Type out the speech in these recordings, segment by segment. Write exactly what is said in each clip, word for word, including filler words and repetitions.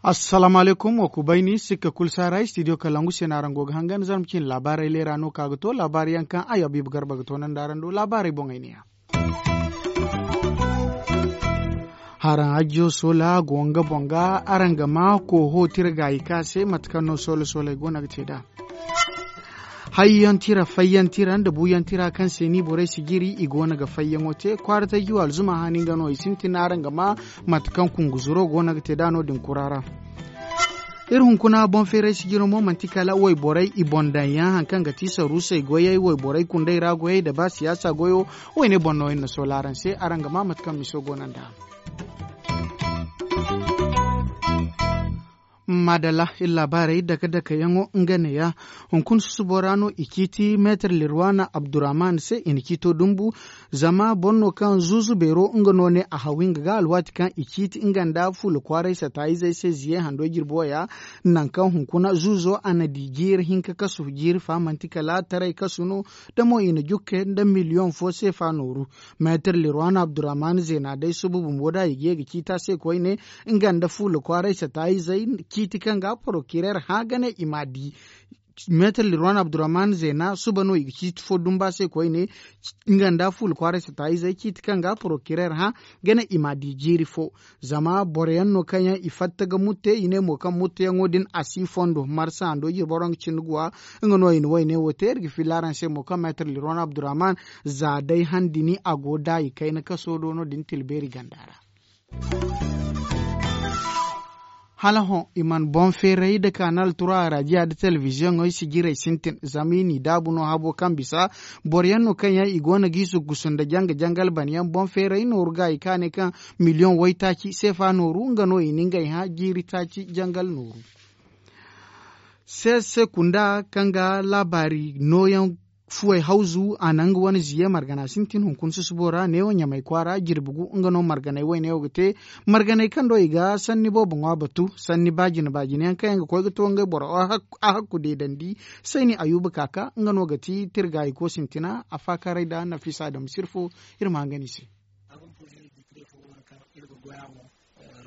Assalaamu alaykum, wa kubayni, sikka kulu si a ra, studio kalangu se no araŋ go ga hangan, zarma cine laabaarey leera no ka ga to, laabaari yaŋ kaŋ ay Habiibu Garba ga toonandi araŋ do, laabaarey boŋey ne ya. Haraŋ hajjo soola go nga boŋ ga, araŋ ga ma kooho tira gaayi ka se, mate kaŋ no soola sooley go no ga te nd'a. Hayyaŋ tira, fayyaŋ tira nda buuyaŋ tira kaŋ se ni borey si jiri, i go no ga fayyaŋo te. Kwaara taji wa alzuma haani nga no i sintin, araŋ ga ma mate kaŋ kunguzuro go no ga te nd'a no-din kura ra. Iri hunkuna boŋ feeray sijiro mo manti kala wayborey i boŋ daŋ yaŋ, hari kaŋ ga ti saruusey goyey, wayborey kundey ra goyey nda ba siyaasa goyo. Wayne boŋ no iri na soola araŋ se, araŋ ga ma mate kaŋ miso go no nd'a. Maadalla, iri laabaarey dake-dake yaŋo nga ne ya. Hunkuna susubo ra no i ciiti meetar lirwaana abdurrahman se i na ciito dumbu. Zama boro no kaŋ zuuzu beero nga no ne a hawi nga ga alwaati kaŋ i ciiti nga nda fuula kwaaray sataayizey se ziye hando jirbo ya. Nangu kaŋ hunkuna zuuzo a na di jiiri hinka kasu jiiri fa manti kala taray kasu no. Da mo i na jukke nda miliyoŋ fo seefa nooru. Meetar lirwaana abdurrahman zeena day suba bumbo da i ga ye ga ciita se koyne. Nga nda fuula kwaaray sataayizey ciiti kaŋ ga porokirer hã ga ne i m'a di. Meetar lirwan abdurrahman zeena suba no i ga ciiti fo dumba se koyne. Nga nda fuula kwaaray sataayizey ciiti kaŋ ga porokirer hã ga ne i m'a di jiiri fo. Zama boro yaŋ no kaŋ yaŋ i fatta ga mutte i ne mo kaŋ mutteyaŋo din a si fondo marsa hando jirbo ra nga cindi guwa. Nga no i na wayne wo te iri ga filla araŋ se mo kaŋ meetar lirwan abdurrahman za day han dini a go daayi kayna kaso do no din tilbeeri ganda ra. Hala hõ i mana boŋ feeray nda kaanal tura arajiya nda telebiziyoŋey sijirey sintin zama i n'i daabu no habo kaŋ bisa. Boro yaŋ no kaŋ yaŋ i go no ga i zuggusu nda janga-jangal bana yaŋ boŋ feeray nooru ga i kaanay kaŋ miliyoŋ waytaaci seefa nooru nga no i na ngey hã jiiri taaci jangal nooru. Seese kunda kaŋ ga laabaari nooyaŋ fuwey hawzu a na nga wane ziye margana sintin hunkuna susubo ra neewo ɲamay kwaara jirbi gu nga no marganey wayne wo ga te. Marganey kaŋ do i ga sanni boobo ŋwa batu sanni baajine-baajine yaŋ kaŋ yaŋ ga koy ga to ngey boro a hakku deedandi. Sayni ayuba kaaka nga no ga ti tirgaayiko sintina a faakaaray nda nafisa adamu sirfo. Iri ma hangan i se.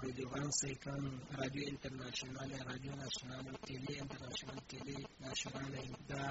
Redevansey kaŋ radio international radio national tele international tele national nda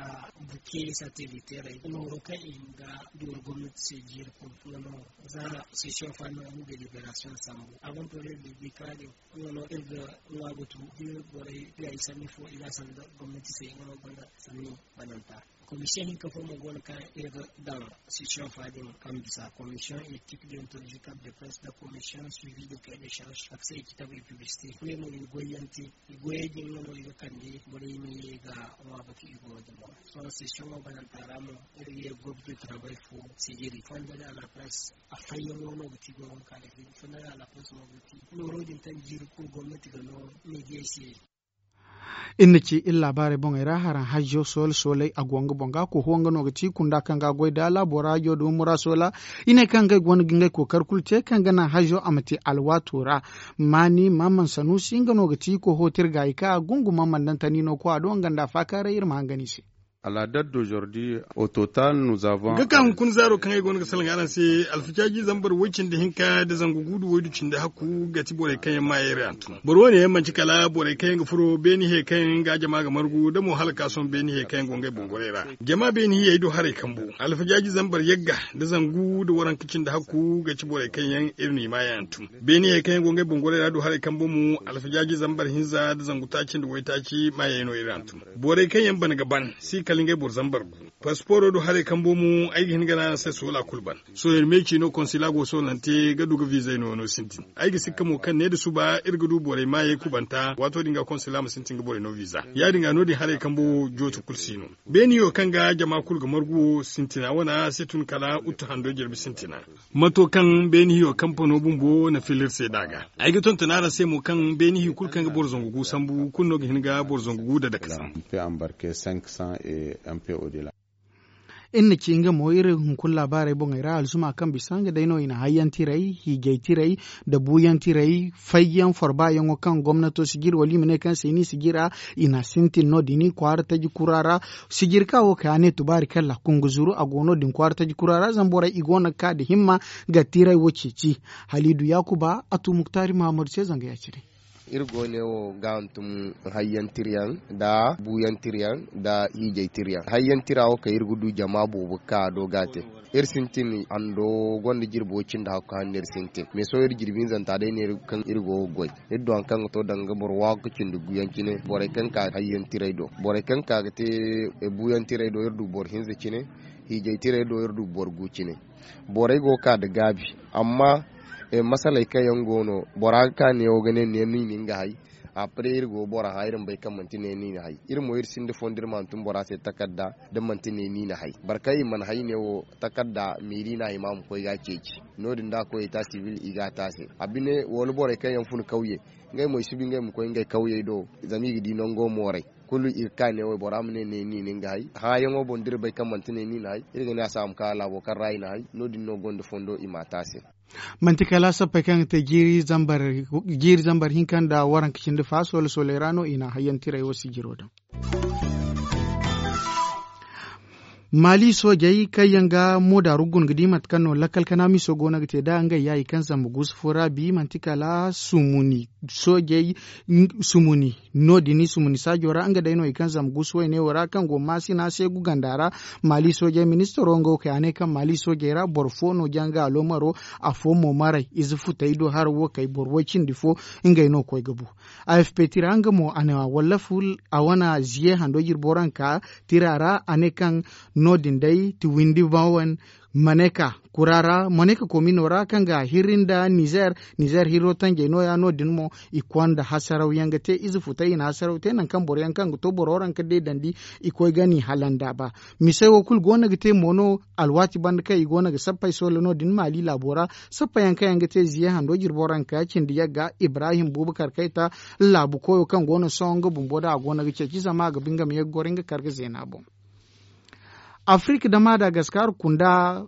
buke sateliteerey nooro kaŋ i ga dooru gomnati se jiiri kulu nga no za session fa no nga deliberation sambu. Avant projet de décret din nga no iri ga ŋwa batu da borey ga i sanni fo i ga a sanda gomnati se nga no gonda sanni bananta. Commission hinka fo mo go no kaŋ iri ga daŋ session fa din kaŋ bisa commission éthique déontologique de presse da commission suivi de cahier de charge a ga se équitable et publicité. Ngey mo i ga goyyaŋ te i goyey din nga no i ga kande borey ma ye ga ŋwa batu i goyo din boŋ. Sohõ session wo bananta ra mo iri ga ye groupe de travail fo sijiri fondation à la presse a fayyaŋo no ga ti goyo kaŋ a ga ti fondation à la presse no ga ti nooro din kaŋ jiiri kulu gomnati ga no media se. Iri na ci iri laabaarey boŋey ra haraŋ hajjo soola soolay a go nga boŋ ga koho nga no ga ti kunda kaŋ ga a goy da laabo ra hajjo da humo ra soola. I ne kaŋ ngey go no ga ngey kookari kulu te kaŋ ga naŋ hajjo a ma te alwaato ra. Maani maman sanuusi nga no ga ti koho tirgaayi kaŋ a gungu maman daŋ tani no koy a do nga nda a faakaaray iri ma hangan i se. Nga kaŋ hunkuna zaaro kaŋ ay goono ga salaŋ araŋ se alfajaaji zambar woy cindi hinka nda zangu guudu woydu cindi hakku ga ti borey kaŋ yaŋ maayey ra hantum. Boro wane yaŋ manti kala borey kaŋ yaŋ ga furo beeni he kaŋ yaŋ ga jama ga margu nda mo hala ka sohõ beeni he kaŋ yaŋ go ngey boŋ gorey ra. Jama beeni hiyey du haray kambo alfajaaji zambar yagga nda zangu nda waranka cindi hakku ga ti borey kaŋ yaŋ iri n'i maayey hantum. Beeni he kaŋ yaŋ go ngey boŋ gorey ra du haray kambo mo alfajaaji zambar hinza nda zangu taaci nda waytaaci maayey no iri hantum. Borey kaŋ yaŋ ban ga ban si kala ngey boro zambar gu. Pasiporo du haray kambo mo ay ga hin ga ne araŋ se soola kulu ban. Sohõ iri me ciino konsila go soolante ga du ga viizey no no sintin. Ay ga sikka mo kaŋ ne nda suba iri ga du borey maayey kubanta waato din ga konsila ma sintin ga borey no viiza. Ya- din ga no- din haray kambo jooto kulu si no. Beeni yo kaŋ ga jama kulu ga margu wo sintina wane se tun kala uttu hando jirbi sintina. Mato kaŋ beeni hiyo kampano bumbo na fila iri se nd'a ga. Ay ga tonton araŋ se mo kaŋ beeni hiyo kulu kaŋ ga boro zangu gu sambu kulu no ga hin ga boro zangu gu dadaka sambu. Pe ambarke cinq cents et un peu au delà. Iri na ci nga mo iri hunkuna laabaarey boŋey ra alzuma kaŋ bisa nga day no i na hayyantiray, hiijaytiray, nda buuyantiray, fayyaŋ forbayaŋo kaŋ gomnato si jiri wala i ma ne kaŋ se ni si jira. I na sintin no- din kwaara taji kura ra. Sijiri ka wo kay a ne tubaari kaŋ laakun ga zuru a go no- din kwaara taji kura ra zama borey i go no ga ka nda himma ga tiray wo ceeci. Haliidu yaakuba a tu muktaari mahamadu se zanga ya- cine. Iri go ne wo ga hantum hayyantiryaŋ, nda buuyantiryaŋ, nda hiijaytiryaŋ. Hayyantira wo kaŋ iri ga du jama boobo ga ka a do ga a te. Iri sintin hando gonda jirbi wo cindi hakku hanno iri sintin mais sohõ iri jirbi hinzanta day neera kaŋ iri go ga goy. Iri du hari kaŋ ga to danga boro waagu ga cindi guuyaŋ cine borey kaŋ ka hayyantirey do, borey kaŋ ka ga te buuyantirey do iri du boro hinza cine. Hiijaytirey do iri du boro gu cine. Borey go ga ka nda gaabi. Amma masaley kaŋ yaŋ go no bora ga ka neewo ga ne neera no i na nga hay. Après iri go bora hã iri ma bay kaŋ manti ne ni na hay. Iri mo iri sinda fondo iri ma hantum bora se takarda da manti ne ni na hay boro kaŋ i mana hay ne wo takarda meeri no a hima a ma koy ga a ceeci. No- din da a koy eta sibil i ga a te a se a bine wala borey kaŋ yaŋ fun kawye. Ngey mo i si bi ngey ma koy ngey kawyey do zama i ga di nango mooray. Kulu i ga ka ne wo bora ma ne ne ni na nga hay hãyaŋo boŋ da iri bay kaŋ manti ne ni na hay iri ga ne a se a ma ka laabo kaŋ ra i na hay. No- din no gonda fondo i m'a te a se. Manti kala sappey kaŋ ga te jiiri zambar hinka nda waranka cindi fa soole sooley ra no i na hayyantiray wo sijiro daŋ. Maali soojey kaŋ yaŋ ga moodaaru guna ga di mate kaŋ no lakkal kana miso go no ga te nd'a ngey yaayi kaŋ zamba guusu fo ra bi manti kala sumuni soojey sumuni. No- din i sumuni saajo ra nga day no i kaŋ zama guusu wayne wo ra kaŋ go maasina seegu ganda ra. Maali soojey ministaro nga wo kay a ne kaŋ maali soojey ra boro fo no janga aloomaro. Afo mo maray ize futey do hara wo kay boro way cindi fo. Ngey no koy ga bu. Afp tira nga mo a na wallafu a wane ziye hando jirbo ranka tira ra a ne kaŋ no- din day ti windi bawan maneka kura ra maneka komino ra kaŋ ga hirri nda nizer. Nizer hirro tanjey no- ya no- din mo i konda hasaraw yaŋ ga te ize futa i na hasaraw te nangu kaŋ boro yaŋ kaŋ ga to boro ranka deedandi. I koy ga ni halanda ba. Misey wo kulu go no ga te mo no alwaati banda kaŋ i go no ga sappey soole no- din maali laabo ra. Sappa yaŋ kaŋ yaŋ ga te ziye hando jirbo ranka cindi yagga ibrahim buuba karkayta laabu koyo kaŋ go no sohõ nga bumbo da a go no ga ceeci zama a ga ba nga ma ye ga goro nga kar ga zeena boŋ. Afirka da madagaskar kunda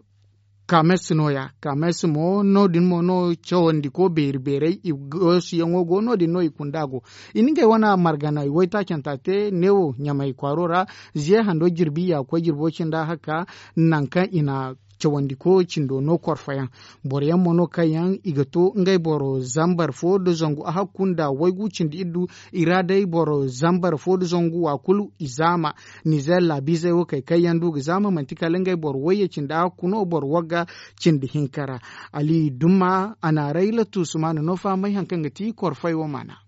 kames no- ya kames mo no- din mo no cawandi ko beeri beerey i goosiyaŋo go no- din no i kunda go. I na ngey wane margana i waytaacanta te neewo ɲamay kwaaro ra. Ziye hando jirbi ya ga koy jirbo cinda haka nangu kaŋ i na cawandi ko cindo no korfoyaŋ. Boro yaŋ mo no kaŋ yaŋ i ga to ngey boro zambar fo nda zangu a hakku nda waygu cindi iddu. I ra day boro zambar fo nda zangu wa kulu i zaama. Nizer laabiizey wo kay kaŋ yaŋ du ga zaama manti kala ngey boro wayye cindi a hakku no boro wagga cindi hinka ra. Ali dumma a na rayla tuusumaana no fahamay hari kaŋ ga ti korfay wo maana.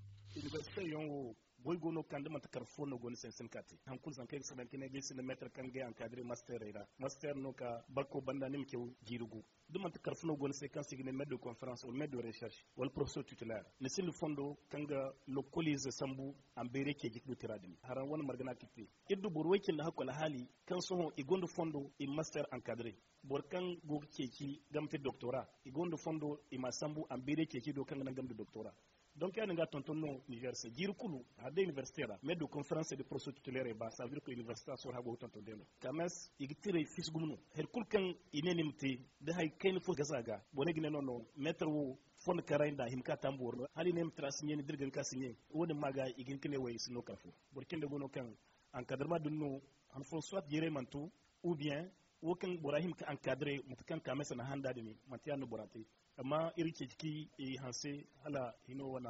Goy go no kaŋ da manti kar fo no go ni se ni si hin ka te hari kulu zanka ay ga si daŋ ka ne day sinda meetar kaŋ ga ay ankadire masteerey ra masteer no ka bakko banda ni ma caw jiiri gu. Da manti kar fo no go ni se kaŋ se i ga ne meetar de konferans wala meetar de recherche wala porofesor titulaire ni sinda fondo kaŋ ga lokkoliize sambu a ma bayray ceeci ka du tira din haraŋ wane margana ka te. Iri du boro way cindi hakku alhaali kaŋ sohõ i gonda fondo i ma masteer ankadire. Boro kaŋ go ga ceeci game te doktora i gonda fondo i m'a sambu a ma bayray ceeci do kaŋ ga naŋ game da doktora. Donc ya- din ga a tonton no nizer se jiiri kulu hari day inibersite ra mais du konferans de porosititulere ba savedir ko inibersite ra sohõ hari go ga tonton day no. Kames i ga tiray fiisi gumo no hari kulu kaŋ i ne ni ma te da hari kayna fo gasa ga borey ga ne no no meetar wo fondo karay nda a hima ka tambu woro no hala i ne ma tira siɲe ni da iri ga hin ka siɲe. Wo- din ma ga i ga hin ka ne wo i si no kar fo. Boro cindi go no kaŋ ankadarma din no han fo soit jiirey mana to ou bien wo kaŋ bora hima ka ankadire mate kaŋ kames na handa din manti ya- din no bora te. Amma iri ga ceeci ka i hanse hala hino wane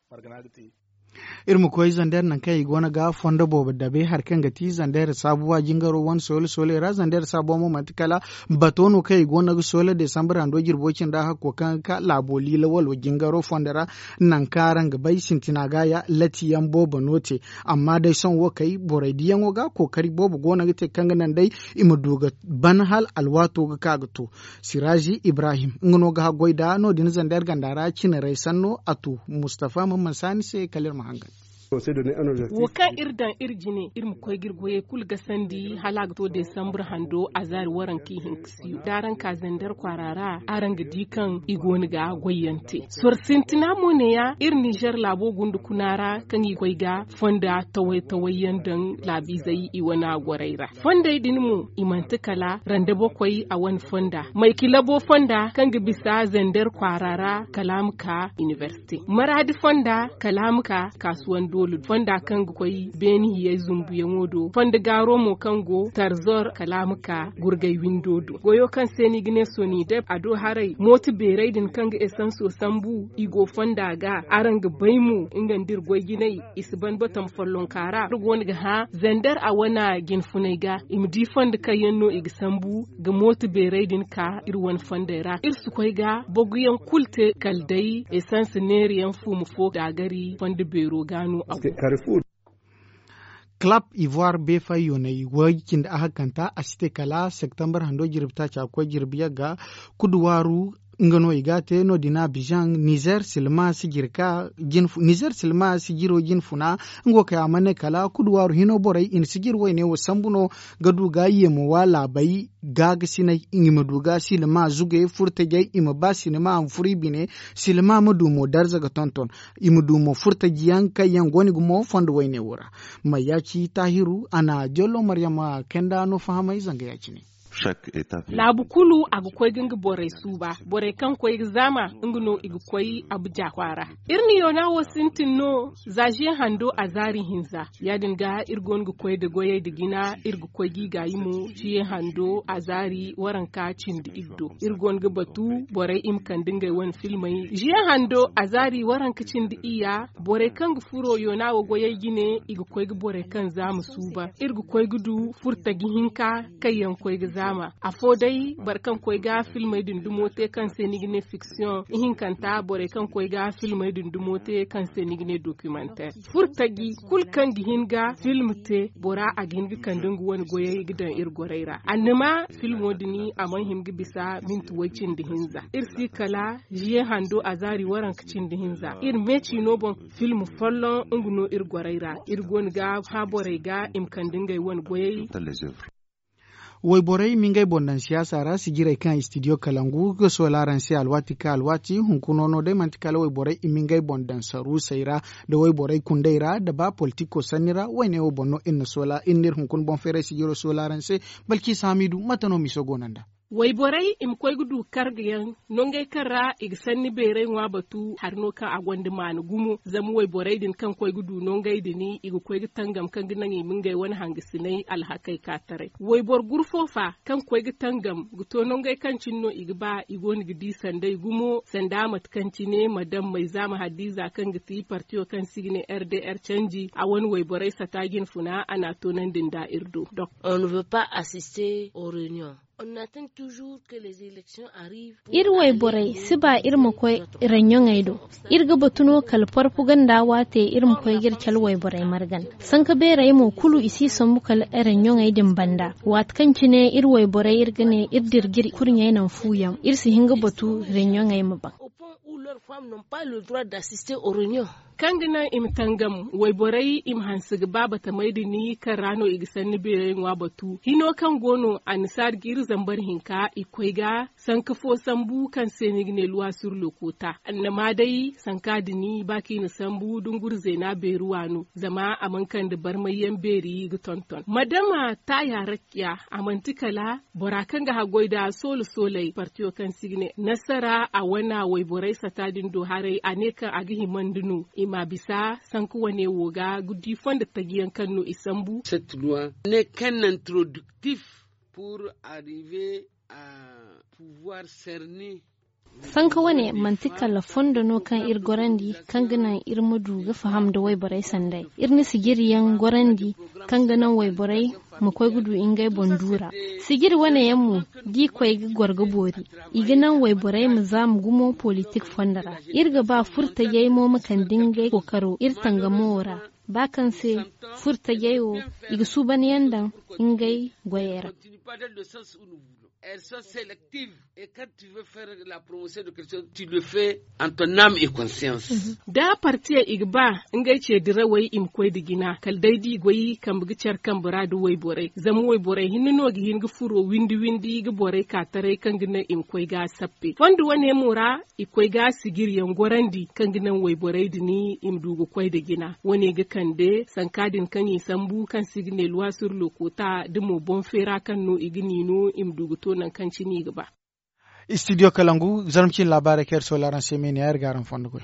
margana ga te. Iri ma koy zander nangu kaŋ i go no ga fondo boobo dabe hari kaŋ ga ti zander saabuwa jingaro wane soole soole ra zander saabuwa mo manti kala bato no kaŋ i go no ga soole desambar hando jirbo cinda hakko kaŋ ga ka laabo liila walo jingaro fondo ra. Nangu kaŋ araŋ ga bay sintina ga ya lati yaŋ boobo no te. Amma day sohõ wo kay borey diyaŋo ga kookari boobo go no ga te kaŋ ga naŋ day i ma du ga ban hala alwaato ga ka ga to. Sirazi ibrahim nga no ga haggoy da no- din zander ganda ra cinarey sanno a tu mustafa mamman saani se kala iri ma hangan. Wo kaŋ iri daŋ iri jine iri ma koy ga iri goyey kulu gasandi hala a ga to desambur hando azaari waranka ihinka siyo da araŋ ka zander kwaara ra araŋ ga di kaŋ i go no ga goy yaŋ te. Soro sintina mo ne- ya iri ninzeer laabo gunda kuna ra kaŋ i koy ga fonda taway taway yaŋ daŋ laabiizey i wane a gorey ra. Fondey din mo i manti kala randa bokoy a wane fonda maykilabo fonda kaŋ ga bisa zander kwaara ra kala a ma ka inibersite maraadi fonda kala a ma ka kaasuwan doolu fonda kaŋ ga koy beeni hiyey zumbuyaŋo do fondo gaaro mo kaŋ go tarzor kala a ma ka gurgay windo do goyo kaŋ se no i ga ne sonideb a do haray mooto beerey din kaŋ ga esanso sambu i go fonda ga araŋ ga bay mo nga nda iri goy jinay i si ban batam follonka ra iri go no ga hã zander a wane jinfunay ga i ma di fondo kaŋ yaŋ no i ga sambu ga mooto beerey din ka iri wane fondey ra iri si koy ga boguyaŋ kulu te kala day esans neeri yaŋ fuuma fo daagari fondo beero ga no a go. Kalap ivoire beefay yoonay way cindi ahakanta a si te kala septembar hando jirbi taaca ga koy jirbi yagga kuduwaaru nga no i ga a te no- din a bizaŋ nizer silma sijiro jinfuna nga wo kay a mana ne kala kuduwaaru hino borey i na sijiro wayne wo sambu no ga du ga yeemo wa laabey gaagasinay i ma du ga silma zuge furtajey i ma ba silma a ma furo i bine silma ma du mo darza ga tonton i ma du mo furtaji yaŋ kaŋ yaŋ go no ga mo fondo wayne wo ra. Mayya ci taahiru a na jollo maryama kayanda no fahamay zanga ya- cine. Laabu kulu a ga koy ga nga borey suuba borey kaŋ koy ga zaama nga no i ga koy abuja kwaara. Iri na yoona wo sintin no za ziye hando a zaari hinza ya- din ga iri go no ga koy nda goyey nda jina iri ga koy ga i gaayi mo ziye hando a zaari waranka cindi iri do iri go no ga batu borey i ma kande ngey wane filmey ziye hando a zaari waranka cindi iyya borey kaŋ ga furo yoona wo goyey jine i ga koy ga borey kaŋ zaama suuba iri ga koy ga du furtaji hinka kaŋ yaŋ koy ga zaama afo day boro kaŋ koy ga filmey din dumo te kaŋ se ni ga ne fiksiyoŋ ihinkanta borey kaŋ koy ga filmey din dumo te kaŋ se ni ga ne dokimanteer furtaji kulu kaŋ ga hin ga film te bora a ga hin ga kande nga wane goyey ga daŋ iri gorey ra annama filmo din a mana hin ga bisa minti way cindi hinza iri si kala ziye hando a zaari waranka cindi hinza iri meeci no boŋ film folloŋ nga no iri gorey ra iri go no ga hã borey ga i ma kande ngey wane goyey. Wayborey ma ngey boŋ daŋ siyaasa ra sijirey kaŋ studio kalangu ga soola araŋ se alwaati ka alwaati hunkuna no day manti kala wayborey i ma ngey boŋ daŋ saruusey ra nda wayborey kundey ra nda ba politiko sanni ra wayne wo boŋ no iri na soola iri n'iri hunkuna boŋ feeray sijiro soola araŋ se. Balki saamidu mate no miso go no nda? Wayborey i ma koy ga du karga yaŋ nongey kaŋ ra i ga sanni beeray ŋwa batu hari no kaŋ a gonda maana gumo zama wayborey din kaŋ koy ga du nongey din i ga koy ga tangam kaŋ ga naŋ i ma ngey wane hangasinay alhakey ka taray wayboro gurfo fa kaŋ koy ga tangam ga to nongey kaŋ cine no i ga ba i go no ga di sanday gumo sanda mate kaŋ cine madam mayza ma hadiza kaŋ ga ti partiyo kaŋ se i ga ne rdr canji a wane wayborey sata jinfuna a n'a toonandi nda iri do. On ne veut pas assister aux réunions. Iri wayborey si ba iri ma koy reɲoŋey do. Iri ga batu no kala porpuganda waate iri ma koy ga iri cala wayborey margan. Sanka beerey mo kulu i si sambu kala reɲoŋey din banda waati kaŋ cine iri wayborey iri ga ne iri dira ga iri kurɲey naŋ fuuyaŋ iri si hin ga batu reɲoŋey ma baŋ. Kaŋ ga naŋ i ma tangam wayborey i ma hanse ga ba batamey din kaŋ ra no i ga sanni beerey ŋwa batu hino kaŋ go no annasaari ga iri zambar hinka i koy ga sanka fo sambu kaŋ se no i ga ne luwa sur le kota annama day sanka din ba kaŋ i na sambu dunguri zeena beeri waano zama a mana kande barmayyaŋ beeri ga tonton madama taaya rakkiya a manti kala bora kaŋ ga haggoy nda soolo sooley partiyo kaŋ se i ga ne nasara a wana wayborey sata din do haray a ne kaŋ a ga himandi no i ma bisa sanka wane wo ga ga di fondo taji yaŋ kaŋ no i sambu. Cette loi n'est qu'un introductif pour arriver à pouvoir cerner. Sanka wane manti kala fondo no kaŋ iri gorandi kaŋ ga naŋ iri ma du ga faham nda wayborey sanday iri na sijiri yaŋ gorandi kaŋ ga naŋ wayborey ma koy ga du ngey boŋ duura. Sijiri wane yaŋ mo da i koy ga goro ga boori i ga naŋ wayborey ma zaama gumo politik fondo ra. Iri ga ba furtajey mo ma kande ngey kookaro iri tangamo wo ra ba kaŋ se furtajey wo i ga suuban yaŋ daŋ ngey goyey ra. Elles sont sélectives. Et quand tu veux faire la promotion de quelque chose, tu le fais en ton âme et conscience. Da partiyaŋ i ga ba ngey ce dirawey i ma koy nda jina kala day da i goy kambe ga care kambe ra nda wayborey zama wayborey hinne no ga hin ga furo windi windi ga borey ka taray kaŋ ga naŋ i ma koy ga a sappe fondo wane mo ra. I koy ga a sijiryaŋ gorandi kaŋ ga naŋ wayborey din i ma du ga koy nda jina wane ga kande sanka din kaŋ i sambu kaŋ se i ga ne luwasur lokota da mo boŋ feera kaŋ no i ga ni no i ma du ga to nangu kaŋ cine i ga ba. Studio kalangu, zarma cine laabaarey kaŋ iri soola araŋ se me ne ya iri ga araŋ fondo goy.